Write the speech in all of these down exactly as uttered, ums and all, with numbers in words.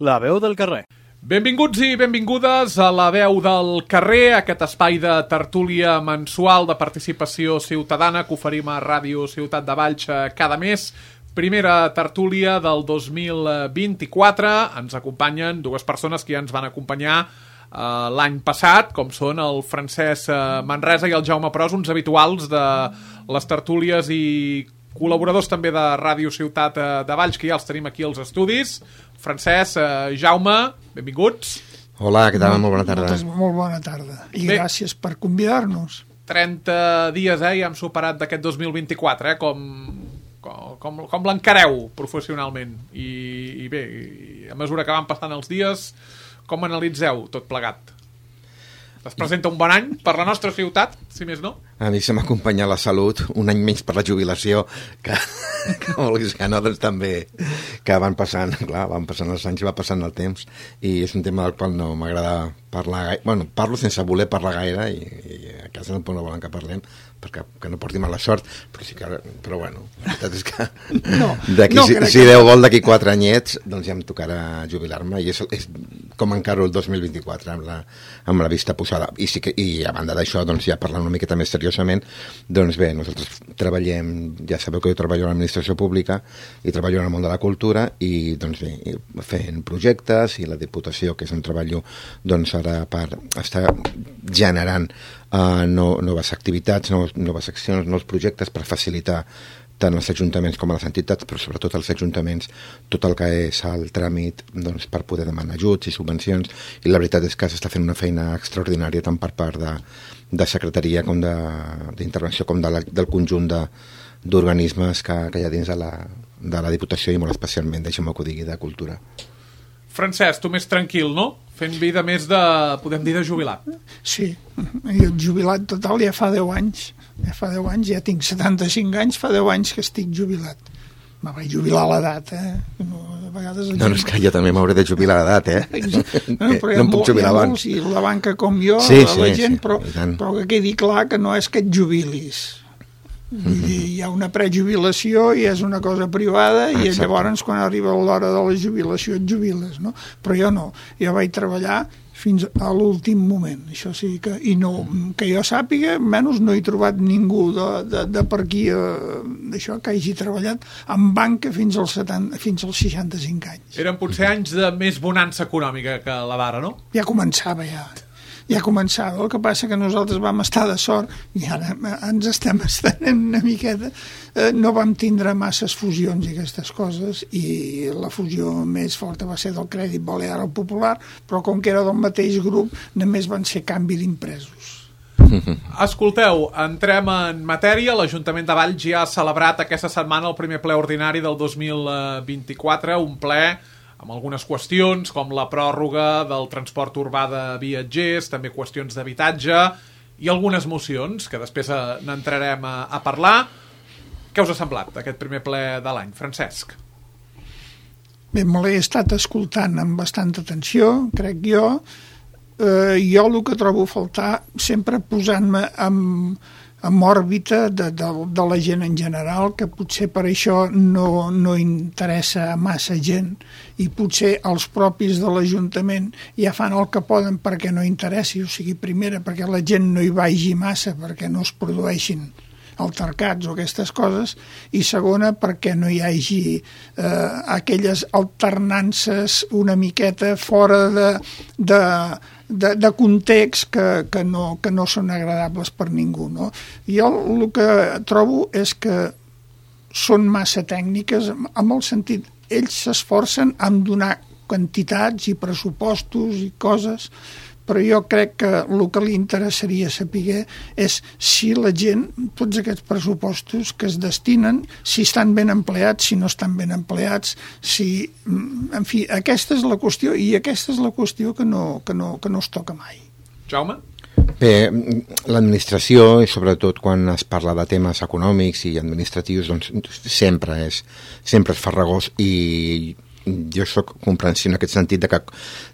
La veu del carrer. Benvinguts i benvingudes a La veu del carrer, aquest espai de tertúlia mensual de participació ciutadana que oferim a Ràdio Ciutat de Valls cada mes. Primera tertúlia del dos mil vint-i-quatre. Ens acompanyen dues persones que ja ens van acompanyar uh, l'any passat, com són el Francesc uh, Manresa i el Jaume Pros, uns habituals de les tertúlies i col·laboradors també de Ràdio Ciutat de Valls, que ja els tenim aquí als estudis. Francesc, eh, Jaume, benvinguts. Hola, què tal? Molt bona tarda. Moltes, molt bona tarda. I Bé, gràcies per convidar-nos. trenta dies, eh, ja hem superat d'aquest dos mil vint-i-quatre, eh, com, com, com, com l'encareu professionalment. I, i bé, i a mesura que van passant els dies, com analitzeu tot plegat? Es presenta un bon any per la nostra ciutat, si més no? A mi se m'acompanya la salut, un any menys per la jubilació, que, que vulguis que no, doncs també, que van passant, clar, van passant els anys, va passant el temps, i és un tema del qual no m'agrada parlar gaire, bueno, parlo sense voler parlar gaire, i, i a casa no, no volen que parlem, perquè que no porti mala sort, però sí que, però bueno, la veritat és que no, d'aquí, no, si, crec si que... Déu vol d'aquí quatre anyets, doncs ja em tocarà jubilar-me, i és, és com encaro el dos mil vint-i-quatre, amb la, amb la vista posada, i, sí que, i a banda d'això, doncs ja parlant una miqueta més seriosament, doncs bé, nosaltres treballem, ja sabeu que jo treballo a l'administració pública i treballo en el món de la cultura, i doncs bé, fent projectes, i la Diputació, que és on treballo, doncs ara per estar generant Uh, no, noves activitats, nous, noves accions, nous projectes per facilitar tant els ajuntaments com a les entitats, però sobretot els ajuntaments, tot el que és el tràmit, doncs, per poder demanar ajuts i subvencions, i la veritat és que s'està fent una feina extraordinària tant per part de, de secretaria com d'intervenció com de la, del conjunt de, d'organismes que, que hi ha dins de la, de la Diputació i molt especialment, deixa'm que ho digui, de cultura. Francesc, tu més tranquil, no? Fent vida més de, podem dir, de jubilat. Sí, jo jubilat total ja fa deu anys. Ja fa deu anys, ja tinc setanta-cinc anys, fa deu anys que estic jubilat. Me vaig jubilar a l'edat, eh? No, a vegades no, no, és que jo també m'hauré de jubilar a l'edat, eh? No, però no em puc jubilar abans. I la banca com jo, sí, la sí, gent, sí, però, però que quedi clar que no és que et jubilis. Vull dir, hi ha una prejubilació i és una cosa privada i Exacte. Llavors quan arriba l'hora de la jubilació et jubiles, no? Però jo no, jo vaig treballar fins a l'últim moment, això sí que, i no, que jo sàpiga, menys no he trobat ningú de, de, de per aquí eh, d'això que hagi treballat en banca fins als, setanta, fins als seixanta-cinc anys. Eren potser anys de més bonança econòmica que la d'ara, no? Ja començava, ja. Ja començava, el que passa que nosaltres vam estar de sort i ara ens estem estenent una miqueta, eh, no vam tindre masses fusions i aquestes coses, i la fusió més forta va ser del Crèdit Balear al Popular, però com que era del mateix grup només van ser canvi d'impresos. Escolteu, entrem en matèria. L'Ajuntament de Valls ja ha celebrat aquesta setmana el primer ple ordinari del dos mil vint-i-quatre, un ple amb algunes qüestions, com la pròrroga del transport urbà de viatgers, també qüestions d'habitatge i algunes mocions, que després n'entrarem a, a parlar. Què us ha semblat aquest primer ple de l'any? Francesc? Bé, me l'he estat escoltant amb bastanta atenció, crec jo. Eh, jo el que trobo a faltar, sempre posant-me amb... amb òrbita de, de, de la gent en general, que potser per això no, no interessa a massa gent i potser els propis de l'Ajuntament ja fan el que poden perquè no interessi, o sigui, primera perquè la gent no hi vagi massa, perquè no es produeixin altercats o aquestes coses, i segona perquè no hi hagi eh, aquelles alternances una miqueta fora de... de De, de context que, que, no, que no són agradables per ningú, no? Jo el que trobo és que són massa tècniques, amb el sentit, ells s'esforcen en donar quantitats i pressupostos i coses, però jo crec que el que li interessaria saber és si la gent, tots aquests pressupostos que es destinen, si estan ben empleats, si no estan ben empleats, si... En fi, aquesta és la qüestió, i aquesta és la qüestió que no, que no, que no es toca mai. Jaume? Bé, l'administració, i sobretot quan es parla de temes econòmics i administratius, doncs sempre és, sempre és farragós, i jo soc comprensiu en aquest sentit de que,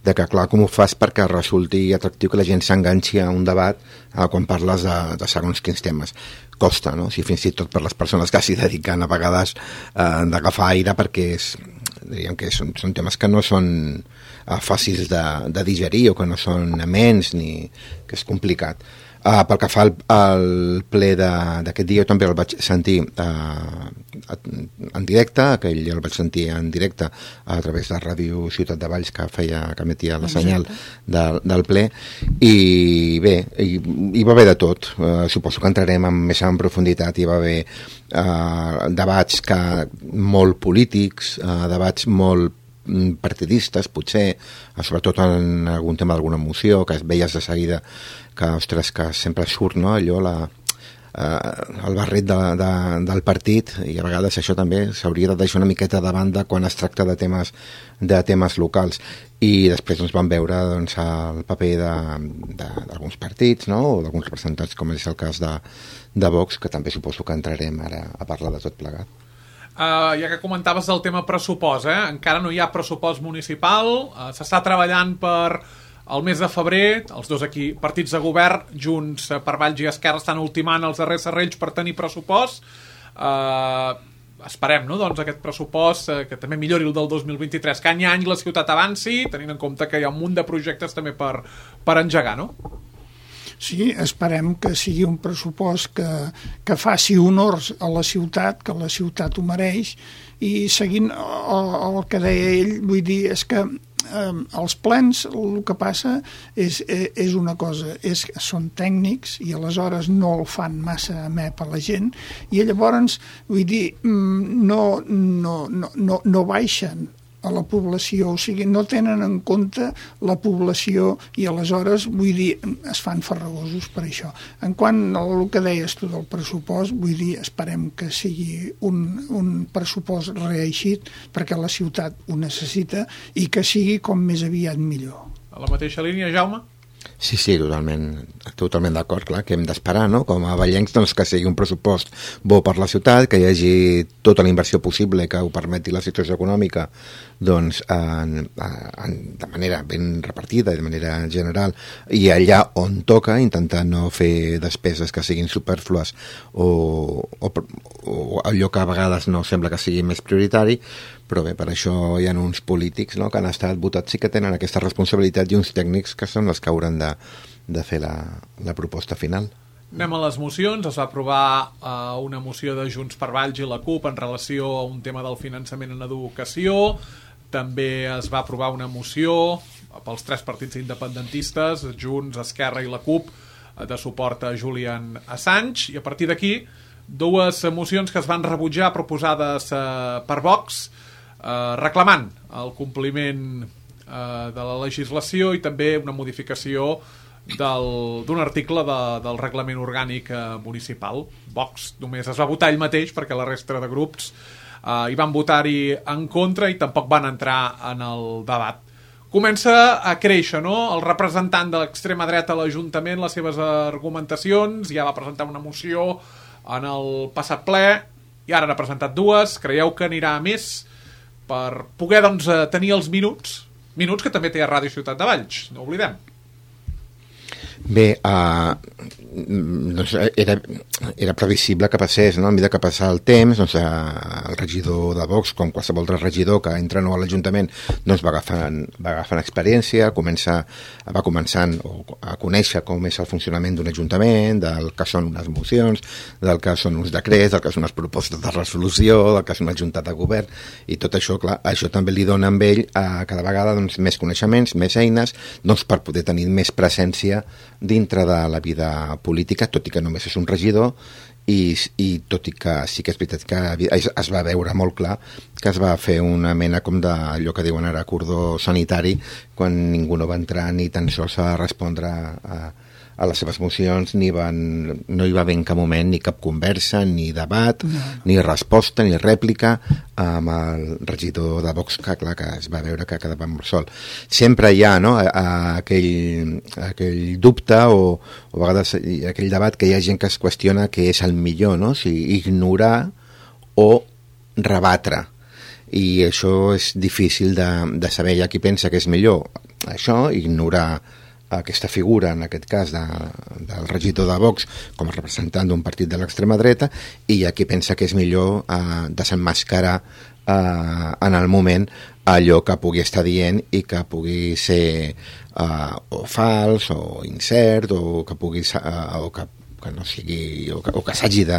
de que clar, com ho fas perquè resulti atractiu que la gent s'enganxi a un debat eh, quan parles de, de segons quins temes. Costa, no? O sigui, fins i tot per les persones que s'hi dediquen a vegades eh, d'agafar aire, perquè és, diríem que són, són temes que no són uh, fàcils de, de digerir o que no són amens ni que és complicat. Uh, pel que fa al, al ple d'aquest dia, jo també el vaig sentir uh, en directe, aquell el vaig sentir en directe a través de Ràdio Ciutat de Valls, que feia, que emetia la senyal de, del ple, i bé, hi, hi va haver de tot. Uh, suposo que entrarem en, més en profunditat. Hi va haver uh, debats que, molt polítics, uh, debats molt partidistes, potser, sobretot en algun tema d'alguna moció, que es veies de seguida que, ostres, que sempre surt, no?, allò, la, eh, el barret de, de, del partit, i a vegades això també s'hauria de deixar una miqueta de banda quan es tracta de temes, de temes locals. I després doncs, vam veure doncs, el paper d'alguns partits, no?, o d'alguns representants, com és el cas de, de Vox, que també suposo que entrarem ara a parlar de tot plegat. Uh, ja que comentaves el tema pressupost, eh? Encara no hi ha pressupost municipal, uh, s'està treballant per el mes de febrer, els dos aquí partits de govern, Junts per Valls i Esquerra, estan ultimant els darrers serrells per tenir pressupost. Uh, esperem, no?, doncs aquest pressupost uh, que també millori el del dos mil vint-i-tres, que any a any la ciutat avanci, tenint en compte que hi ha un munt de projectes també per, per engegar, no? Sí, esperem que sigui un pressupost que, que faci honors a la ciutat, que la ciutat ho mereix, i seguint el, el que deia ell, vull dir, és que eh, els plens el que passa és, és una cosa, és, són tècnics i aleshores no el fan massa amè per la gent, i llavors, vull dir, no, no, no, no, no baixen a la població, o sigui, no tenen en compte la població i aleshores, vull dir, es fan farragosos per això. En quant al que deies tu del pressupost, vull dir, esperem que sigui un, un pressupost reeixit perquè la ciutat ho necessita i que sigui com més aviat millor. A la mateixa línia, Jaume? Sí, sí, totalment, totalment d'acord, clar, que hem d'esperar, no?, com a vallencs, doncs, que sigui un pressupost bo per la ciutat, que hi hagi tota la inversió possible que ho permeti la situació econòmica, doncs, en, en, de manera ben repartida, de manera general, i allà on toca, intentar no fer despeses que siguin superflues o, o, o allò que a vegades no sembla que sigui més prioritari, però bé, per això hi ha uns polítics, no?, que han estat votats i que tenen aquesta responsabilitat, i uns tècnics que són els que hauran de, de fer la, la proposta final. Anem a les mocions. Es va aprovar uh, una moció de Junts per Valls i la CUP en relació a un tema del finançament en educació. També es va aprovar una moció pels tres partits independentistes, Junts, Esquerra i la CUP, de suport a Julian Assange, i a partir d'aquí dues mocions que es van rebutjar proposades uh, per Vox, Uh, reclamant el compliment uh, de la legislació i també una modificació d'un article de, del reglament orgànic uh, municipal. Vox només es va votar ell mateix perquè la resta de grups uh, hi van votar-hi en contra i tampoc van entrar en el debat. Comença a créixer, no?, el representant de l'extrema dreta a l'Ajuntament, les seves argumentacions, ja va presentar una moció en el passat ple i ara n'ha presentat dues. Creieu que anirà a més per poder, doncs, tenir els minuts, minuts que també té a Ràdio Ciutat de Valls, no oblidem? Bé, uh, doncs era, era previsible que passés, no? A mesura que passa el temps, doncs, uh, el regidor de Vox, com qualsevol altre regidor que entra nou a l'Ajuntament, doncs va agafant, va agafant experiència, comença, va començant a conèixer com és el funcionament d'un Ajuntament, del que són unes mocions, del que són uns decrets, del que són unes propostes de resolució, del que és una junta de govern, i tot això, clar, això també li dona a ell uh, cada vegada doncs, més coneixements, més eines, doncs, per poder tenir més presència dintre de la vida política, tot i que només és un regidor, i, i tot i que sí que és veritat que es, es va veure molt clar que es va fer una mena com d'allò que diuen ara cordó sanitari, quan ningú no va entrar ni tan sols a respondre a, a les seves mocions, ni van, no hi va haver en cap moment ni cap conversa, ni debat, no, no. ni resposta, ni rèplica amb el regidor de Vox, que clar, que es va veure que quedava molt sol. Sempre hi ha, no?, a, a aquell, aquell dubte o, o a vegades aquell debat que hi ha gent que es qüestiona què és el millor, no?, si ignorar o rebatre. I això és difícil de, de saber. Hi ha qui pensa que és millor això, ignorar aquesta figura, en aquest cas de, del regidor de Vox com a representant d'un partit de l'extrema dreta, i hi ha qui pensa que és millor eh, desenmascarar eh, en el moment allò que pugui estar dient i que pugui ser eh, o fals o incert o que pugui eh, o que que no sigui, o que, o que s'hagi de,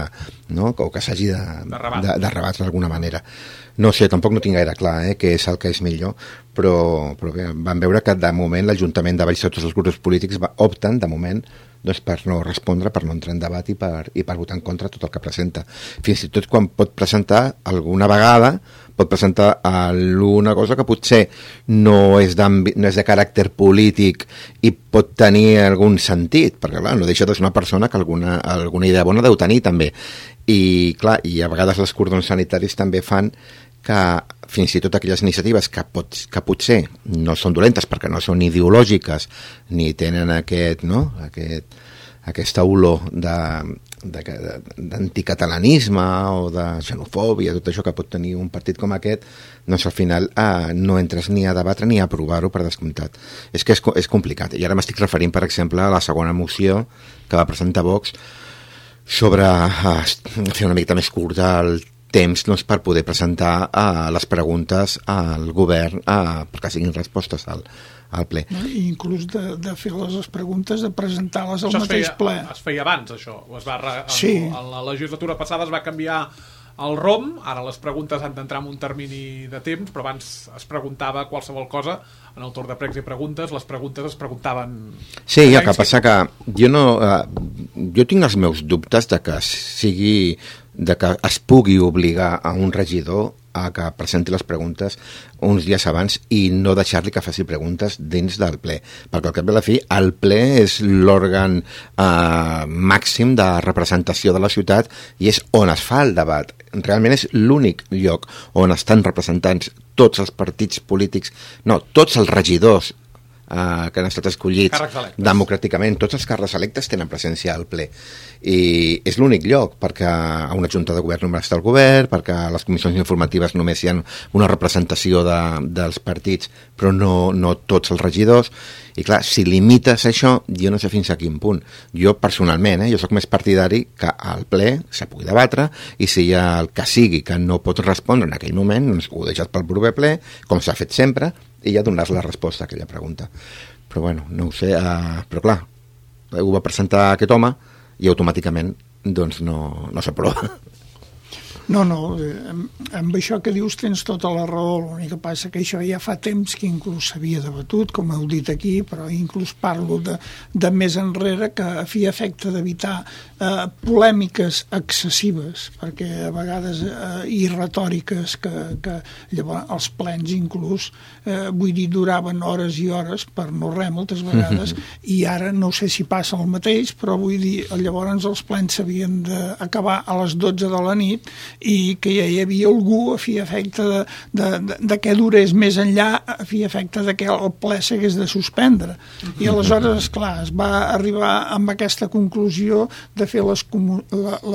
no? o que s'hagi de, de, de rebatre d'alguna manera. No sé, tampoc no tinc gaire clar eh, què és el que és millor, però, però bé, vam veure que de moment l'Ajuntament de Valls, tots els grups polítics va, opten de moment doncs, per no respondre, per no entrar en debat i per, i per votar en contra tot el que presenta. Fins i tot quan pot presentar alguna vegada pot presentar alguna cosa que potser no és, no és de caràcter polític i pot tenir algun sentit, perquè clar, no deixa de ser una persona que alguna, alguna idea bona deu tenir també. I clar, i a vegades els cordons sanitaris també fan que fins i tot aquelles iniciatives que, pot, que potser no són dolentes perquè no són ideològiques ni tenen aquest, no? aquest, aquesta olor de, de, de, d'anticatalanisme o de xenofòbia, tot això que pot tenir un partit com aquest, doncs al final eh, no entres ni a debatre ni a aprovar-ho per descomptat. És que és, és complicat. I ara m'estic referint, per exemple, a la segona moció que va presentar Vox sobre eh, fer una mica més curta el temps doncs, per poder presentar uh, les preguntes al govern uh, perquè siguin respostes al, al ple. No? I inclús de, de fer les preguntes, de presentar-les al mateix feia, ple. Es feia abans, això. Es va re... sí. en, en la legislatura passada es va canviar el R O M, ara les preguntes han d'entrar en un termini de temps, però abans es preguntava qualsevol cosa en el torn de pregs i preguntes, les preguntes es preguntaven... Sí, el que passa que jo no... Eh, jo tinc els meus dubtes de que sigui... de que es pugui obligar a un regidor a que presenti les preguntes uns dies abans i no deixar-li que faci preguntes dins del ple, perquè al cap de la fi el ple és l'òrgan eh, màxim de representació de la ciutat i és on es fa el debat. Realment és l'únic lloc on estan representats tots els partits polítics, no, tots els regidors Uh, que han estat escollits democràticament. Tots els càrrecs electes tenen presència al ple i és l'únic lloc, perquè a una junta de govern només està el govern, perquè a les comissions informatives només hi ha una representació de, dels partits, però no, no tots els regidors. I clar, si limites això, jo no sé fins a quin punt. Jo personalment, eh, jo sóc més partidari que al ple se pugui debatre i si hi ha el que sigui que no pot respondre en aquell moment, doncs ho deixes pel proper ple, com s'ha fet sempre, i ja donar la resposta a aquella pregunta. Però bueno, no ho sé, uh, però clar, ho va presentar aquest home i automàticament doncs no, no s'aprova. No, no, amb, amb això que dius tens tota la raó, l'únic que passa que això ja fa temps que inclús s'havia debatut, com heu dit aquí, però inclús parlo de, de més enrere, que a fi efecte d'evitar eh, polèmiques excessives, perquè a vegades eh, i retòriques que, que llavors els plens inclús, eh, vull dir, duraven hores i hores per no res moltes vegades, i ara no sé si passa el mateix, però vull dir, llavors els plens s'havien d'acabar a les dotze de la nit i que ja hi havia algú a fi efecte de, de, de, de què durés més enllà, a fi efecte de que el ple s'hagués de suspendre. I aleshores, esclar, es va arribar amb aquesta conclusió de fer les,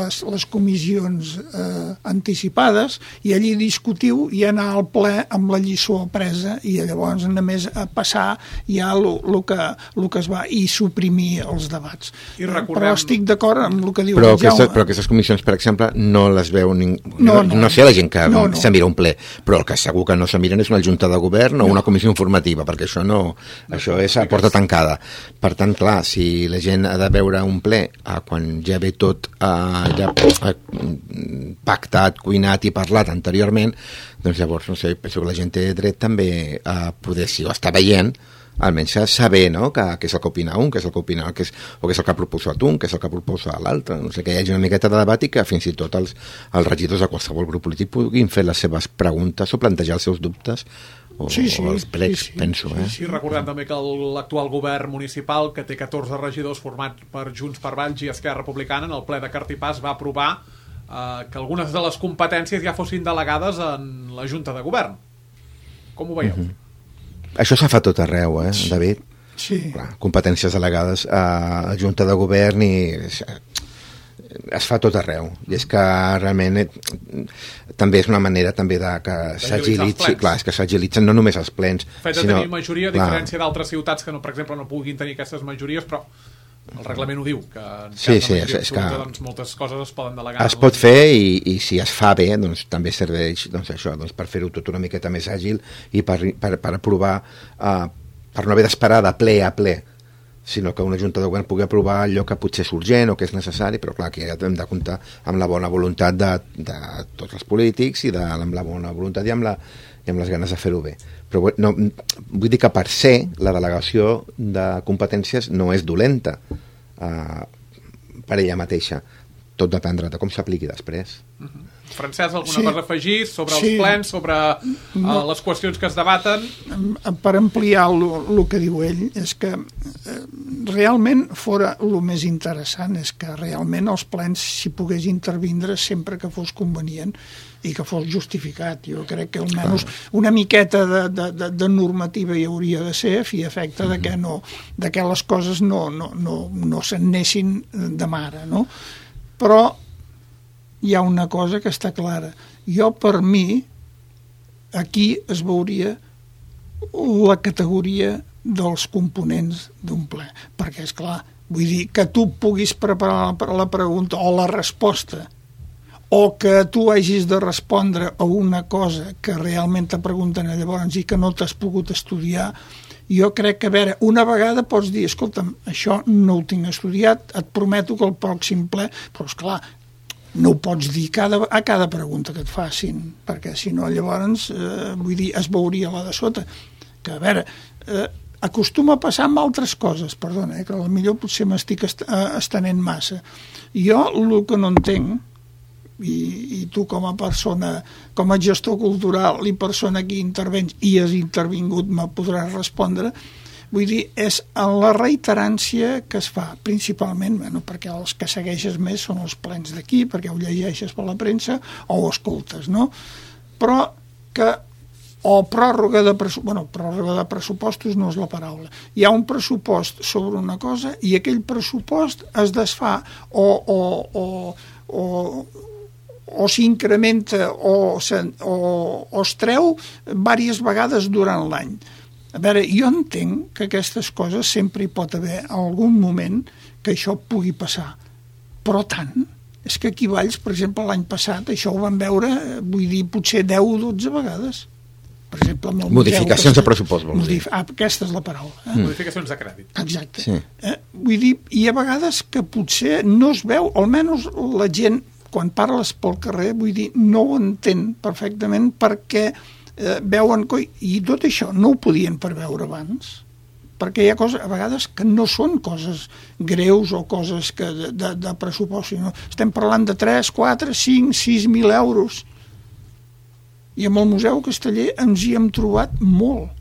les, les comissions eh, anticipades i allí discutiu i anar al ple amb la lliçó presa i llavors només a passar ja el que, que es va i suprimir els debats. I recordem... Però estic d'acord amb el que diu però el Jaume. Aquestes, però aquestes comissions, per exemple, no les veu ningú. No, no, no sé la gent que no, no. se mira un ple, però el que segur que no se miren és una junta de govern o no. una comissió informativa, perquè això no, no això és a porta tancada. Per tant, clar, si la gent ha de veure un ple eh, quan ja ve tot eh, ja eh, pactat, cuinat i parlat anteriorment, doncs llavors, no sé, penso que la gent té dret també a poder, si ho està veient, almenys saber, no?, que, que és el que opina un, que és el que opina, que és, o que és el que ha proposat un, que és el que proposa l'altre, no sé, que hi hagi una miqueta de debat i que fins i tot els, els regidors de qualsevol grup polític puguin fer les seves preguntes o plantejar els seus dubtes o, sí, sí, o els plecs, sí, sí. penso. Eh? Sí, sí, recordem també que l'actual govern municipal, que té catorze regidors formats per Junts per Valls i Esquerra Republicana, en el ple de Cartipàs va aprovar eh, que algunes de les competències ja fossin delegades en la Junta de Govern. Com ho veieu? Mm-hmm. Això s'ha fet tot arreu, eh, David? Sí. Clar, competències delegades a la Junta de Govern i es fa tot arreu. I és que realment eh, també és una manera també de que s'agilitzi, clar, és que s'agilitzen no només els plens. El fet de sinó, tenir majoria, a diferència d'altres ciutats que, no, per exemple, no puguin tenir aquestes majories, però el reglament ho diu, que en cas Sí, de sí, és, majoria és que absoluta, doncs, moltes coses es poden delegar. es pot fer i, i si es fa bé doncs també serveix doncs, això, doncs, per fer-ho tot una miqueta més àgil i per, per, per aprovar uh, per no haver d'esperar de ple a ple, sinó que una junta de govern pugui aprovar allò que potser és urgent o que és necessari, però clar, que ja hem de comptar amb la bona voluntat de, de tots els polítics i de, amb la bona voluntat i amb, la, i amb les ganes de fer-ho bé. Però no, vull dir que per ser la delegació de competències no és dolenta uh, per ella mateixa. Tot dependrà de com s'apliqui després. Uh-huh. Francesc, alguna Sí. cosa a afegir sobre Sí. els plens, sobre No. uh, les qüestions que es debaten? Per ampliar el que diu ell, és que eh, realment fora el més interessant és que realment els plens s'hi pogués intervindre sempre que fos convenient i que fos justificat. Jo crec que almenys una miqueta de, de, de, de normativa hi hauria de ser a fi i efecte de que, no, de que les coses no, no, no, no se'n anessin de mare, no? Però hi ha una cosa que està clara. Jo, per mi, aquí es veuria la categoria dels components d'un ple. Perquè, és clar, vull dir que tu puguis preparar la pregunta o la resposta, o que tu hagis de respondre a una cosa que realment te pregunten llavors i que no t'has pogut estudiar. Jo crec que, a veure, una vegada pots dir, escolta'm, això no ho tinc estudiat, et prometo que el pròxim ple, però esclar, no ho pots dir cada, a cada pregunta que et facin, perquè si no llavors, eh, vull dir, es veuria la de sota. Que, a veure, eh, acostuma a passar amb altres coses, perdona, eh, que potser potser m'estic est estenent massa. Jo el que no entenc, i, i tu com a persona, com a gestor cultural i persona que intervens i has intervingut me podràs respondre, vull dir, és en la reiterància que es fa, principalment, bueno, perquè els que segueixes més són els plens d'aquí, perquè ho llegeixes per la premsa o ho escoltes, no? Però que o pròrroga de pressupostos, bueno, pròrroga de pressupostos no és la paraula. Hi ha un pressupost sobre una cosa i aquell pressupost es desfà o, o, o, o o s'incrementa o, o, o es treu diverses vegades durant l'any. A veure, jo entenc que aquestes coses sempre hi pot haver algun moment que això pugui passar, però tant, és que aquí a Valls, per exemple, l'any passat, això ho vam veure, vull dir, potser deu o dotze vegades. Per exemple, amb el modificacions museu, de pressupost, vols dir. Ah, aquesta és la paraula. Eh? Mm. Modificacions de crèdit. Exacte. Sí. Eh? Vull dir, hi ha vegades que potser no es veu, almenys la gent, quan parles pel carrer, vull dir, no ho entén perfectament perquè eh, veuen coi, i tot això no ho podien preveure abans, perquè hi ha coses, a vegades, que no són coses greus o coses que de, de, de pressupost, sinó estem parlant de tres, quatre, cinc, sis mil euros. I amb el Museu Casteller ens hi hem trobat molt.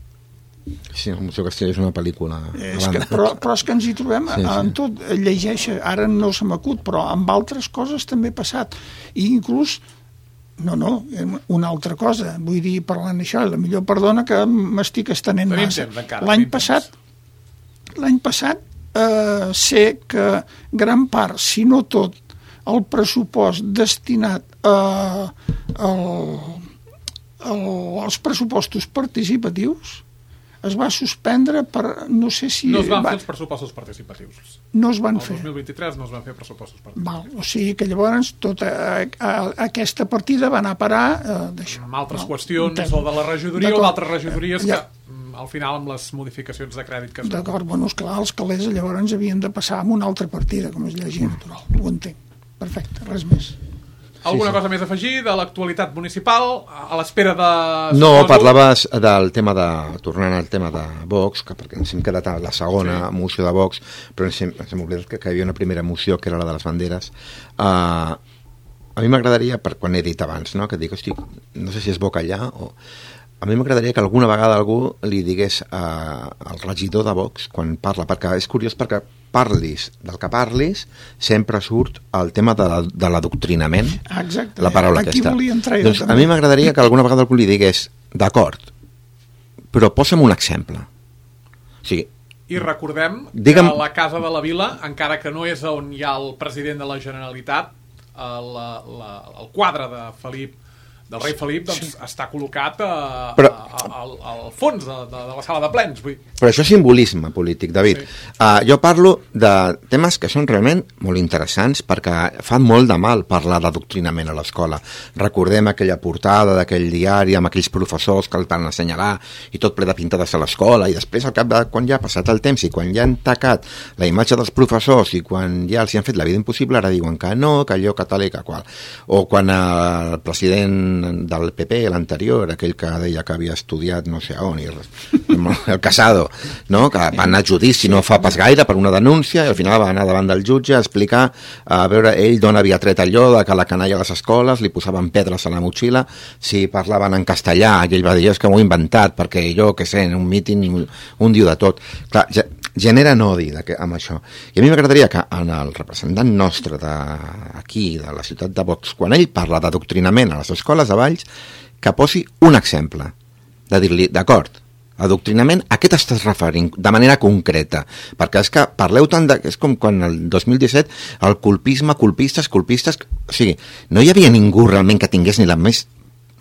Sí, el Museu Casteller és una pel·lícula. És que, però, però és que ens hi trobem sí, sí. en tot, llegeix, ara no se m'acut, però amb altres coses també ha passat. I inclús, no, no, una altra cosa, vull dir, parlant d'això, la millor perdona que m'estic estenent massa. L'any passat, l'any passat eh, sé que gran part, si no tot, el pressupost destinat a, a, a, als pressupostos participatius es va suspendre per, no sé si... No es van va... fer els pressupostos participatius. No es van el fer. El dos mil vint-i-tres no es van fer pressupostos participatius. Val, o sigui que llavors tota a, a, aquesta partida va anar a parar eh, d'això. Amb altres Val. qüestions, Entenc. o de la regidoria o d'altres regidories ja. que al final amb les modificacions de crèdit que es fan. D'acord, bueno, esclar, els calés llavors havien de passar amb una altra partida, com és llegir natural. Ho entenc. Perfecte, res més. Alguna sí, sí. cosa més a afegir de l'actualitat municipal a l'espera de... No, suposo... parlaves del tema de... tornant al tema de Vox, que perquè ens hem quedat a la segona sí. moció de Vox, però ens hem, ens hem oblidat que, que hi havia una primera moció, que era la de les banderes. Uh, a mi m'agradaria, per quan he dit abans, no? que dic, hosti, no sé si és bo callar o... A mi m'agradaria que alguna vegada algú li digués uh, al regidor de Vox, quan parla, perquè és curiós perquè parlis del que parlis, sempre surt el tema de, de l'adoctrinament, exacte, la paraula aquí aquesta. Doncs també. a mi m'agradaria que alguna vegada algú li digués, d'acord, però posa'm un exemple. O sigui, I recordem digue'm... que a la Casa de la Vila, encara que no és on hi ha el president de la Generalitat, el, la, el quadre de Felip del rei Felip doncs, sí. està col·locat a, però, a, a, al, al fons de, de, de la sala de plens. Vull. Però això és simbolisme polític, David. Sí. Uh, jo parlo de temes que són realment molt interessants perquè fan molt de mal parlar d'adoctrinament a l'escola. Recordem aquella portada d'aquell diari amb aquells professors que el van assenyalar i tot ple de pintades a l'escola, i després al cap de quan ja ha passat el temps i quan ja han tacat la imatge dels professors i quan ja els hi han fet la vida impossible, ara diuen que no, que allò catòlic, que qual. O quan el president del P P, l'anterior, aquell que deia que havia estudiat no sé on, i el Casado, no? Que va anar a judici no fa pas gaire per una denúncia i al final va anar davant del jutge a explicar, a veure ell d'on havia tret allò de que la canalla a les escoles li posaven pedres a la motxilla si parlaven en castellà, i ell va dir és que m'ho he inventat perquè jo, que sé, en un míting un, un diu de tot. Clar, ja, generen odi amb això. I a mi m'agradaria que en el representant nostre d'aquí, de la ciutat de Vox, quan ell parla d'adoctrinament a les escoles de Valls, que posi un exemple, de dir-li, d'acord, adoctrinament, a què t'estàs referint de manera concreta? Perquè és que parleu tant de... És com quan el dos mil disset el colpisme, colpistes, colpistes... O sigui, no hi havia ningú realment que tingués ni la més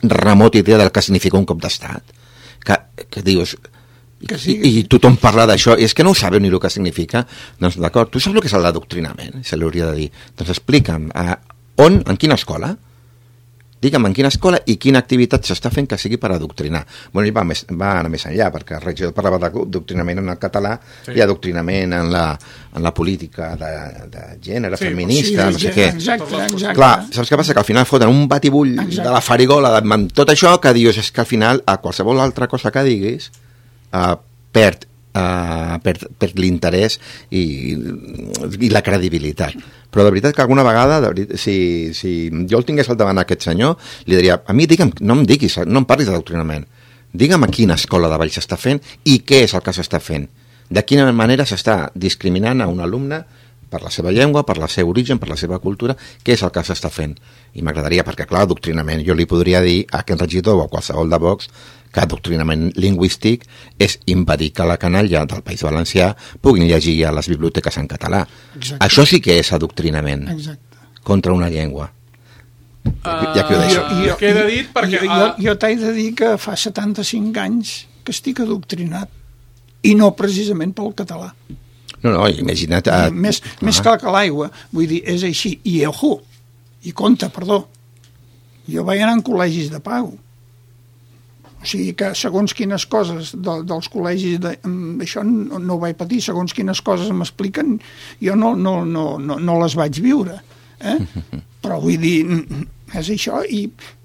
remota idea del que significa un cop d'estat. Que, que dius... Que sí. I, I tothom parla d'això, i és que no ho sabeu ni el que significa. Doncs d'acord, tu saps el que és l'adoctrinament? Se li hauria de dir. Doncs explica'm, eh, on, en quina escola? Digue'm en quina escola i quina activitat s'està fent que sigui per adoctrinar. Bueno, ell va, més, va anar més enllà, perquè el regidor parlava d'adoctrinament en el català, sí. I adoctrinament en la, en la política de, de gènere, sí, feminista, sí, no sé què. Exacte, exacte. Clar, saps què passa? Que al final foten un batibull exacte. De la farigola amb tot això que dius, és que al final a qualsevol altra cosa que diguis uh, perd Uh, per, per l'interès i, i la credibilitat. Però de veritat que alguna vegada de veritat, si, si jo el tingués al davant aquest senyor, li diria, a mi digue'm, no em diguis, no em parlis d'adoctrinament, digue'm a quina escola de Valls s'està fent i què és el que s'està fent, de quina manera s'està discriminant a un alumne per la seva llengua, per el seu origen, per la seva cultura, què és el que s'està fent. I m'agradaria, perquè clar, adoctrinament, jo li podria dir a aquest regidor o a qualsevol de Vox que adoctrinament lingüístic és impedir que la canalla del País Valencià puguin llegir a les biblioteques en català. Exacte. Això sí que és adoctrinament. Exacte. Contra una llengua. Uh, ja que ho deixo. Jo, jo, queda dit perquè... Jo, jo, jo t'he de dir que fa setanta-cinc anys que estic adoctrinat, i no precisament pel català. No, no, imagina't... Uh, més ah. més clar que l'aigua, vull dir, és així. I ojo, i compte, perdó, jo vaig anar en col·legis de pago. O sigui que segons quines coses de, dels col·legis de, això no, no ho vaig patir, segons quines coses m'expliquen, jo no, no, no, no, no les vaig viure, eh? Però vull dir, és això. I,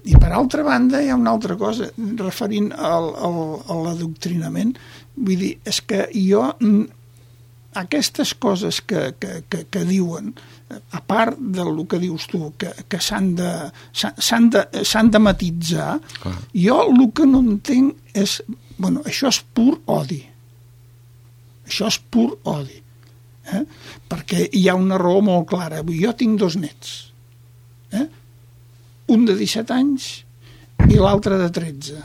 i per altra banda hi ha una altra cosa referint al, al, a l'adoctrinament, vull dir, és que jo aquestes coses que, que, que, que diuen, a part del que dius tu, que, que s'han de, s'han de, s'han de matitzar, ah. Jo el que no entenc és, bueno, això és pur odi. Això és pur odi. Eh? Perquè hi ha una raó molt clara. Jo tinc dos nets. Eh? Un de disset anys i l'altre de tretze.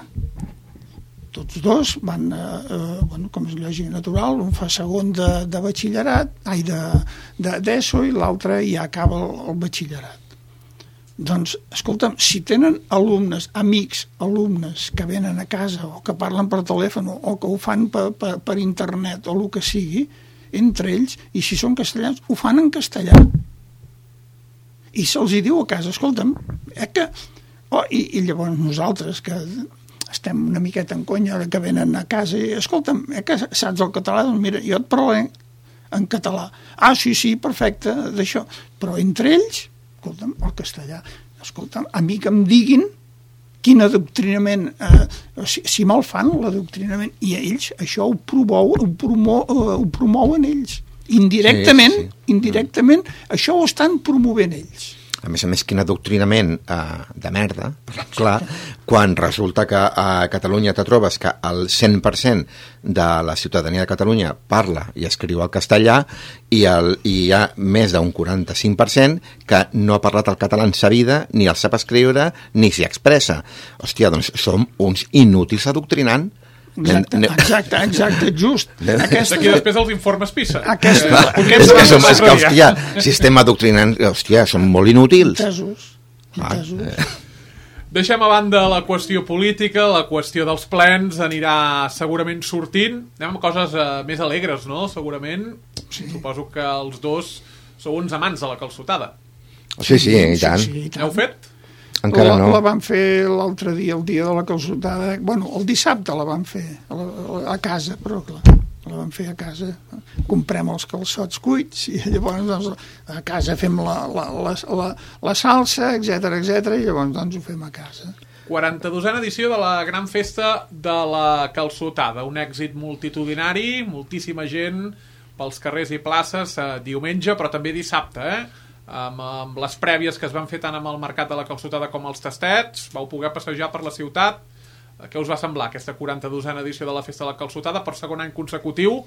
Tots dos van, eh, bueno, com és lògic natural, un fa segon de, de batxillerat, ai, de, de d'ESO, i l'altre ja acaba el, el batxillerat. Doncs, escolta'm, si tenen alumnes, amics, alumnes que venen a casa o que parlen per telèfon o que ho fan per, per, per internet o el que sigui, entre ells, i si són castellans, ho fan en castellà. I se'ls hi diu a casa, escolta'm, eh, que... Oh, i, i llavors nosaltres, que estem una miqueta en conya, que venen a casa i, escolta'm, eh, que saps el català? Doncs mira, jo et parlo en català. Ah, sí, sí, perfecte, d'això. Però entre ells, escolta'm, el castellà. Escolta'm, a mi que em diguin quin adoctrinament, eh, si, si me'l fan, l'adoctrinament, i ells això ho, promou, ho, promou, ho promouen ells. Indirectament, sí, sí. indirectament, això ho estan promovent ells. A més a més, quin adoctrinament eh, de merda, clar, quan resulta que a Catalunya te trobes que el cent per cent de la ciutadania de Catalunya parla i escriu el castellà i, el, i hi ha més d'un quaranta-cinc per cent que no ha parlat el català en sa vida, ni el sap escriure, ni s'hi expressa. Hòstia, doncs som uns inútils adoctrinant. Exacte, exacte, exacte, just. Aquesta... Aquí després els informes PISA. Aquesta... Eh, és que, som, és que, hòstia, si estem adoctrinant, hòstia, som molt inútils. Entesos. Entesos. Ah, eh. Deixem a banda la qüestió política, la qüestió dels plens anirà segurament sortint. Anem amb coses eh, més alegres, no? Segurament. Sí. Suposo que els dos sou uns amants de la calçotada. Sí, sí, i tant. Sí, sí, i tant. Heu fet? Encara la, no. La vam fer l'altre dia, el dia de la calçotada. Bueno, el dissabte la vam fer a, la, a casa, però clar, la vam fer a casa. Comprem els calçots cuits i llavors doncs, a casa fem la, la, la, la, la salsa, etcètera, etcètera, i llavors doncs ho fem a casa. quaranta-dosena edició de la gran festa de la calçotada. Un èxit multitudinari, moltíssima gent pels carrers i places eh, diumenge, però també dissabte, eh? Amb, amb les prèvies que es van fer tant amb el mercat de la calçotada com els tastets, vau poder passejar per la ciutat. Què us va semblar aquesta quaranta-dosena edició de la festa de la calçotada? Per segon any consecutiu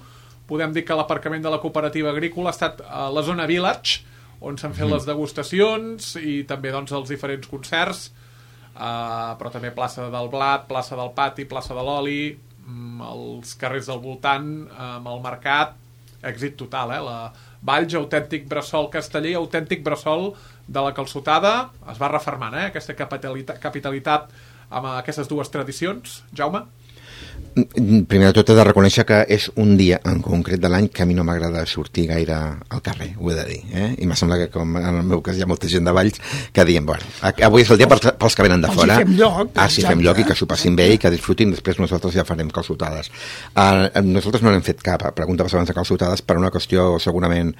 podem dir que l'aparcament de la cooperativa agrícola ha estat a la zona Village, on s'han fet mm. les degustacions i també doncs, els diferents concerts, uh, però també plaça del Blat, plaça del Pati, plaça de l'Oli, els carrers del voltant, amb el mercat, èxit total, eh? La Valls, autèntic bressol casteller, autèntic bressol de la calçotada, es va refermant, eh? Aquesta capitalitat, capitalitat amb aquestes dues tradicions. Jaume? Primer de tot he de reconèixer que és un dia en concret de l'any que a mi no m'agrada sortir gaire al carrer, ho he de dir, eh? I m'ha semblat que com en el meu cas hi ha molta gent de Valls que diem, bueno, avui és el dia pels, pels que venen de fora. Els hi fem lloc. Ah, sí, fem lloc i que s'ho passin bé i que disfrutin, després nosaltres ja farem calçotades. Uh, nosaltres no n'hem fet cap, pregunta abans de calçotades, per una qüestió segurament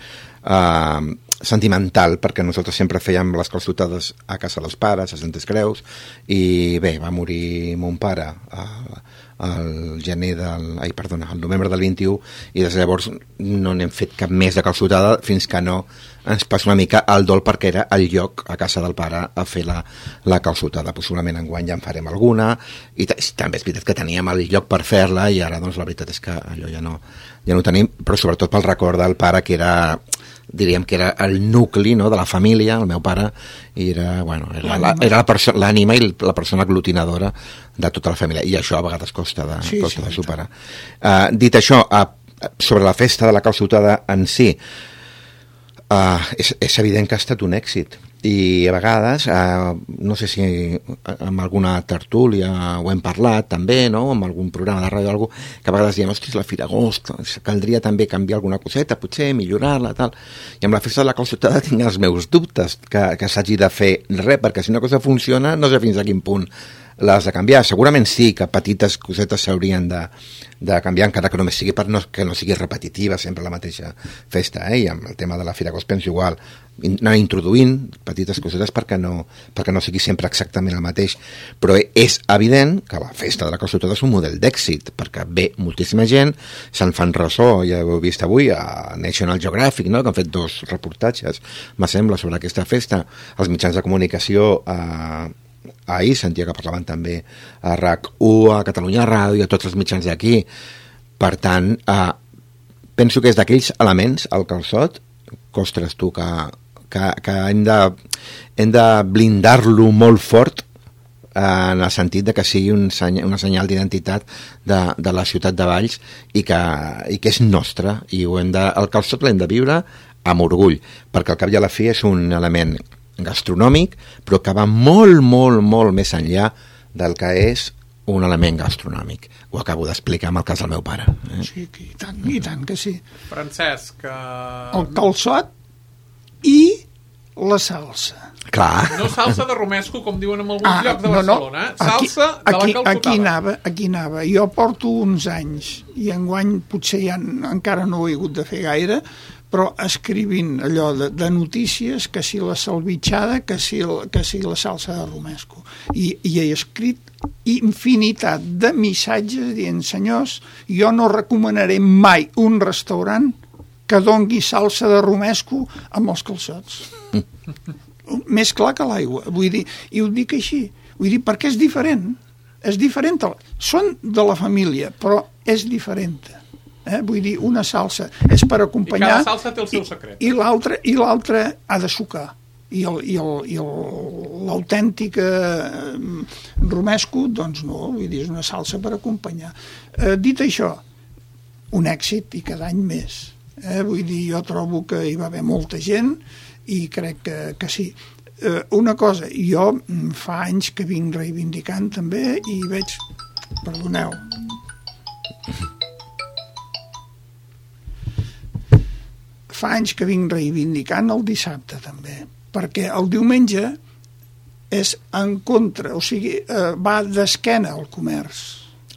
uh, sentimental, perquè nosaltres sempre fèiem les calçotades a casa dels pares, a Santes Creus, i bé, va morir mon pare a uh, el gener del... Ai, perdona, el novembre del vint-i-u, i des de llavors no n'hem fet cap més de calçotada fins que no ens passa una mica el dol, perquè era el lloc a casa del pare a fer la, la calçotada. Possiblement enguany ja en farem alguna, i també és veritat que teníem el lloc per fer-la, i ara doncs la veritat és que allò ja no, ja no ho tenim, però sobretot pel record del pare, que era... diríem que era el nucli, no?, de la família, el meu pare, i era, bueno, era la, era la perso- l'ànima i la persona aglutinadora de tota la família, i això a vegades costa de, sí, costa sí, de superar. Uh, dit això, uh, sobre la festa de la calçotada en si, uh, és, és evident que ha estat un èxit, i a vegades, uh, no sé si amb alguna tertúlia ho hem parlat també, no?, amb algun programa de ràdio o alguna cosa, que a vegades diem, ostres, la Fira Agost, caldria també canviar alguna coseta, potser millorar-la, tal, i amb la festa de la calçotada tinc els meus dubtes que, que s'hagi de fer res, perquè si una cosa funciona no sé fins a quin punt l'has de canviar. Segurament sí que petites cosetes s'haurien de, de canviar, encara que només sigui per no, que no sigui repetitiva sempre la mateixa festa, eh? I amb el tema de la Fira Agost penso igual, anar introduint petites cosetes perquè no, perquè no sigui sempre exactament el mateix, però és evident que la festa de la calçotada és un model d'èxit, perquè ve moltíssima gent, se'n fan ressò, ja ho heu vist avui a National Geographic, no?, que han fet dos reportatges, me sembla, sobre aquesta festa, els mitjans de comunicació a eh, ahir sentia que parlaven també a R A C u, a Catalunya Ràdio, a tots els mitjans d'aquí. Per tant, eh, penso que és d'aquells elements, el calçot, que, ostres, tu, que, que, que hem de, hem de blindar-lo molt fort, eh, en el sentit de que sigui un seny, una senyal d'identitat de, de la ciutat de Valls, i que, i que és nostre, i ho hem de, el calçot l'hem de viure amb orgull, perquè al cap i a la fi és un element gastronòmic, però que va molt, molt, molt més enllà del que és un element gastronòmic. Ho acabo d'explicar amb el cas del meu pare. Eh? Sí, i tant, i tant que sí. Francesc... Que... El calçot i la salsa. Clar. No salsa de romesco, com diuen en alguns ah, llocs de Barcelona, eh? Salsa aquí, de la calçotada. Aquí anava, aquí anava. Jo porto uns anys, i enguany potser ja encara no ho he hagut de fer gaire, però escrivint allò de, de notícies, que si la salvitxada, que si, que si la salsa de romesco. I, i he escrit infinitat de missatges dient, senyors, jo no recomanaré mai un restaurant que dongui salsa de romesco amb els calçots. Més clar que l'aigua. Vull dir, i ho dic així. Vull dir, perquè és diferent. És diferent. Són de la família, però és diferent. Eh? Vull dir, una salsa és per acompanyar... I cada salsa té el seu secret. I, i l'altra i l'altra ha de sucar. I el, i el, i el, l'autèntic eh, romesco, doncs no, vull dir, és una salsa per acompanyar. Eh, dit això, un èxit i cada any més. Eh? Vull dir, jo trobo que hi va haver molta gent i crec que, que sí. eh, una cosa, jo fa anys que vinc reivindicant també i veig, perdoneu, fa anys que vinc reivindicant el dissabte també, perquè el diumenge és en contra, o sigui, eh, va d'esquena al comerç.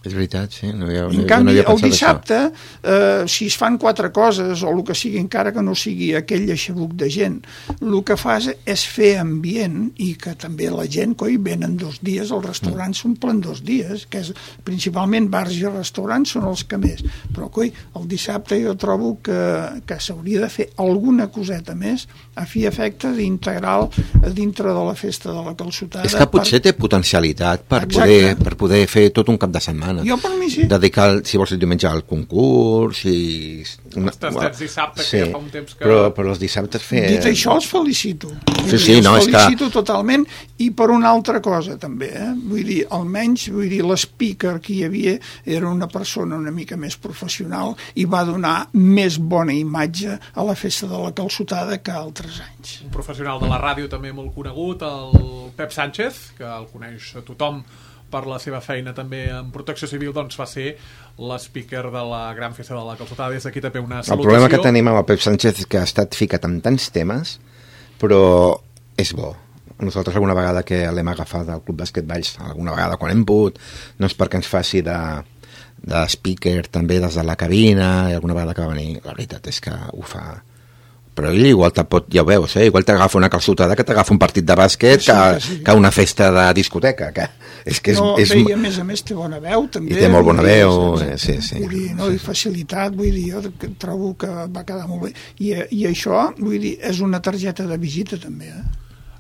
És veritat, sí. No havia, en canvi, no el dissabte, eh, si es fan quatre coses, o el que sigui, encara que no sigui aquell aixebuc de gent, el que fas és fer ambient i que també la gent, coi, venen dos dies, els restaurants s'omplen dos dies, que és principalment bars i restaurants són els que més. Però, coi, el dissabte jo trobo que, que s'hauria de fer alguna coseta més a fi efecte d'integrar dintre de la festa de la calçotada. És que potser per... té potencialitat per poder, per poder fer tot un cap de setmana. Jo per mi sí. Dedicar, si vols, el diumenge al concurs i... Els tastets dissabte, sí, que ja fa un temps que... Però, però els dissabtes fer... Dit això, els felicito. Sí, sí, no, els felicito és que... totalment, i per una altra cosa també, eh? Vull dir, almenys, vull dir, l'speaker que hi havia era una persona una mica més professional i va donar més bona imatge a la festa de la calçotada que altres anys. Un professional de la ràdio també molt conegut, el Pep Sánchez, que el coneix tothom per la seva feina també en protecció civil, doncs va ser l'speaker de la gran festa de la calçotada. Des d'aquí també una salutació. El problema que tenim amb el Pep Sánchez és que ha estat ficat en tants temes, però és bo. Nosaltres alguna vegada que l'hem agafat al Club Bàsquet Valls, alguna vegada quan hem pogut, no és perquè ens faci de, de speaker també des de la cabina, i alguna vegada que va venir, la veritat és que ho fa... Però ell igual te pot, ja ho veus, eh? Igual t'agafa una calçotada que t'agafa un partit de bàsquet, sí, que, sí. que una festa de discoteca, que és que és... No, és... bé, i a més a més té bona veu, també. I té molt bona veu, dir, sí, sí. Vull dir, no, i facilitat, vull dir, jo trobo que va quedar molt bé. I, i això, vull dir, és una targeta de visita, també, eh?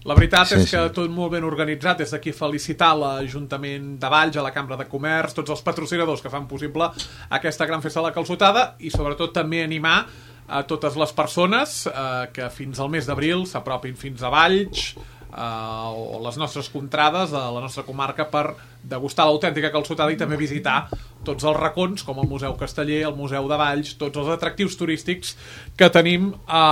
La veritat sí, és que sí. tot molt ben organitzat. Des d'aquí felicitar l'Ajuntament de Valls, a la Cambra de Comerç, tots els patrocinadors que fan possible aquesta gran festa de la calçotada, i sobretot també animar a totes les persones eh, que fins al mes d'abril s'apropin fins a Valls eh, o les nostres contrades a la nostra comarca per degustar l'autèntica calçotada i també visitar tots els racons com el Museu Casteller, el Museu de Valls, tots els atractius turístics que tenim a,